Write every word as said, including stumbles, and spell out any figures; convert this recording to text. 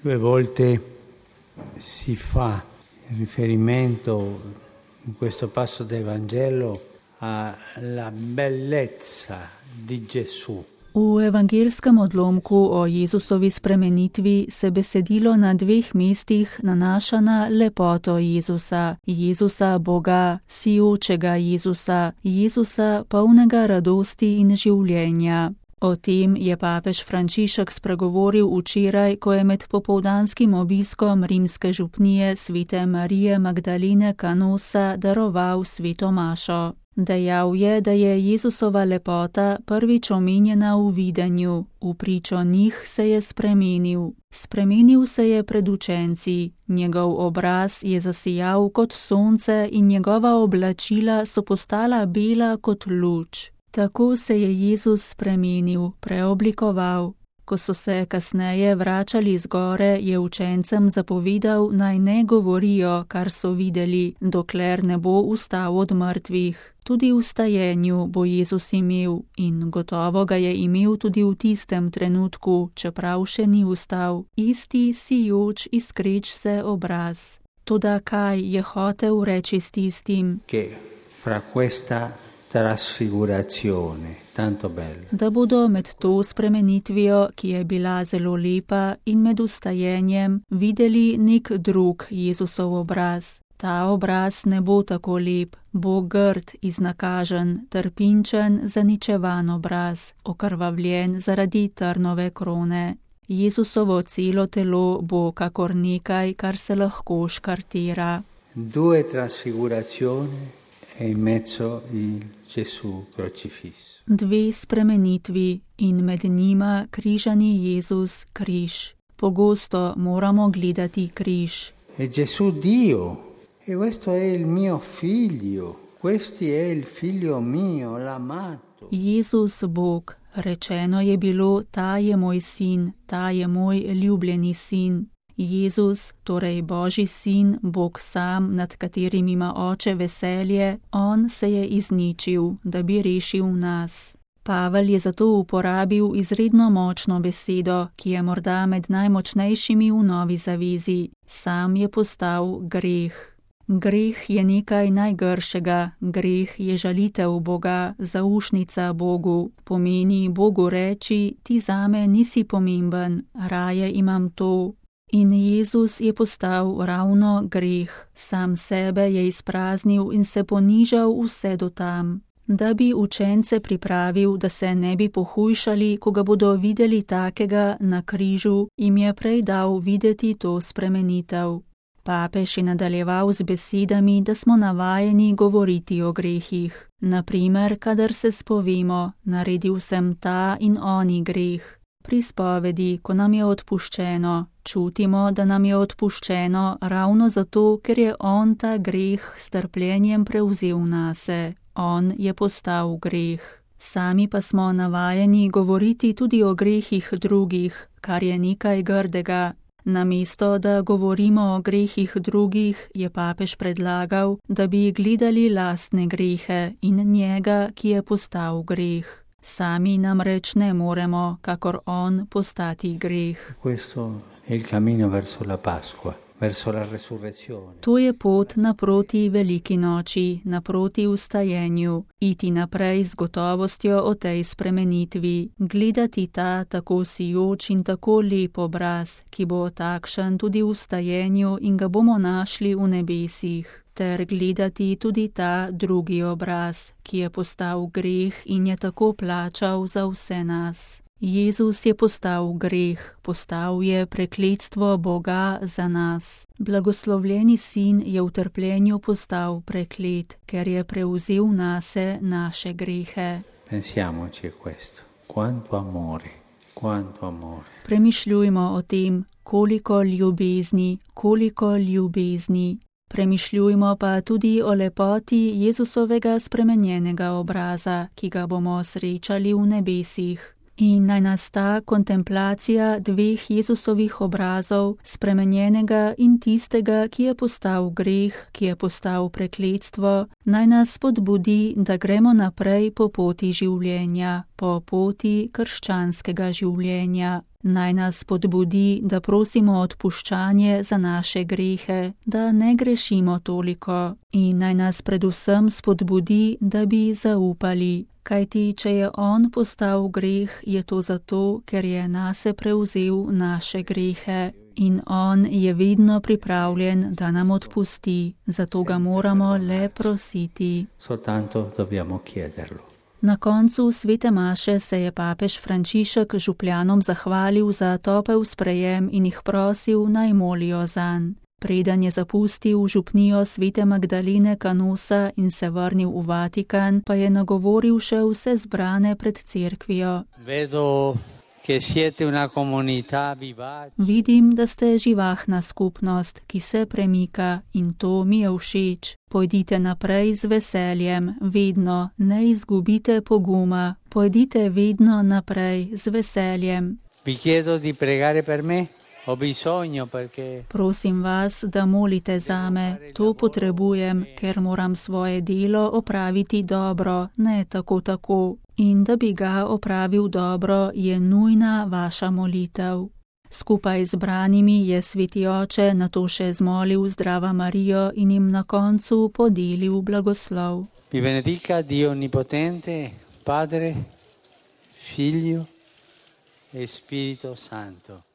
Due volte si fa riferimento in questo passo del Vangelo alla bellezza di Gesù. V evangelskem odlomku o Jezusovi spremenitvi se besedilo na dveh mestih nanaša na lepoto Jezusa, Jezusa Boga, sijočega Jezusa, Jezusa polnega radosti in življenja. O tem je papež Frančišek spregovoril včeraj, ko je med popoldanskim obiskom rimske župnije svete Marije Magdalene Canosa daroval sveto mašo. Dejal je, da je Jezusova lepota prvič omenjena v videnju, v pričo njih se je spremenil. Spremenil se je pred učenci, njegov obraz je zasijal kot sonce in njegova oblačila so postala bela kot luč. Tako se je Jezus spremenil, preoblikoval. Ko so se kasneje vračali z gore, je učencem zapovedal, naj ne govorijo, kar so videli, dokler ne bo vstal od mrtvih. Tudi v stajenju bo Jezus imel in gotovo ga je imel tudi v tistem trenutku, čeprav še ni vstal, isti sijoč iskreč se obraz. Toda kaj je hotel reči s tistim? Che fra questa trasfigurazione, tanto bello. Da bodo med to spremenitvijo, ki je bila zelo lepa, in med vstajenjem videli nek drug Jezusov obraz. Ta obraz ne bo tako lep, bo grd, iznakažen, trpinčen, zaničevan obraz, okrvavljen zaradi trnove krone. Jezusovo celo telo bo kakor nekaj, kar se lahko škartira. Due trasfigurazioni e in mezzo il Gesù crocifisso. Dve spremenitvi in med njima križani Jezus, križ. Pogosto moramo gledati križ. E Gesù Dio, e questo è il mio figlio, questo è il figlio mio, l'amato. Jezus Bog, rečeno je bilo, ta je moj sin, ta je moj ljubljeni sin. Jezus, torej Božji sin, Bog sam, nad katerim ima oče veselje, on se je izničil, da bi rešil nas. Pavel je zato uporabil izredno močno besedo, ki je morda med najmočnejšimi v novi zavezi. Sam je postal greh. Greh je nekaj najgršega, greh je žalitev Boga, zaušnica Bogu. Pomeni Bogu reči, ti zame nisi pomemben, raje imam to. In Jezus je postal ravno greh, sam sebe je izpraznil in se ponižal vse do tam. Da bi učence pripravil, da se ne bi pohujšali, ko ga bodo videli takega na križu, jim je prej dal videti to spremenitev. Papež je nadaljeval z besedami, da smo navajeni govoriti o grehih. Naprimer, kadar se spovemo, naredil sem ta in oni greh. Pri spovedi, ko nam je odpuščeno, čutimo, da nam je odpuščeno ravno zato, ker je on ta greh s trpljenjem prevzel nase. On je postal greh. Sami pa smo navajeni govoriti tudi o grehih drugih, kar je nekaj grdega. Namesto, da govorimo o grehih drugih, je papež predlagal, da bi gledali lastne grehe in njega, ki je postal greh. Sami namreč ne moremo, kakor on, postati greh. Questo è il cammino verso la Pasqua, verso la resurrezione. To je pot naproti veliki noči, naproti vstajenju, iti naprej z gotovostjo o tej spremenitvi, gledati ta tako sijoč in tako lep obraz, ki bo takšen tudi v vstajenju in ga bomo našli v nebesih. Ter gledati tudi ta drugi obraz, ki je postal greh in je tako plačal za vse nas. Jezus je postal greh, postal je prekletstvo Boga za nas. Blagoslovljeni sin je v trpljenju postal preklet, ker je prevzel nase naše grehe. Pensiamoci a questo. Quanto amore, quanto amore. Premišljujmo o tem, koliko ljubezni, koliko ljubezni. Premišljujmo pa tudi o lepoti Jezusovega spremenjenega obraza, ki ga bomo srečali v nebesih. In naj nas ta kontemplacija dveh Jezusovih obrazov, spremenjenega in tistega, ki je postal greh, ki je postal prekletstvo, naj nas spodbudi, da gremo naprej po poti življenja, po poti krščanskega življenja. Naj nas spodbudi, da prosimo odpuščanje za naše grehe, da ne grešimo toliko. In naj nas predvsem spodbudi, da bi zaupali. Kajti, če je on postal greh, je to zato, ker je nase prevzel naše grehe. In on je vedno pripravljen, da nam odpusti. Zato ga moramo le prositi. Soltanto dobbiamo chiederlo. Na koncu svete maše se je papež Frančišek župljanom zahvalil za topel sprejem in jih prosil, naj molijo zanj. Preden je zapustil župnijo svete Magdalene Canosa in se vrnil v Vatikan, pa je nagovoril še vse zbrane pred cerkvijo. Vedo, che siete una comunità vivace. Vidim, da ste živahna skupnost, ki se premika, in to mi je všeč. Pojdite naprej z veseljem, vedno, ne izgubite poguma. Pojdite vedno naprej z veseljem. Vi chiedo di pregare per me. Ho bisogno perché... Prosim vas, da molite zame, to potrebujem, ker moram svoje delo opraviti dobro, ne tako tako. In da bi ga opravil dobro, je nujna vaša molitev. Skupaj z branimi je sveti oče nato še zmolil Zdrava Marijo in jim na koncu podelil blagoslov. Vi benedica Dio Onnipotente, Padre, Figlio e Spirito Santo.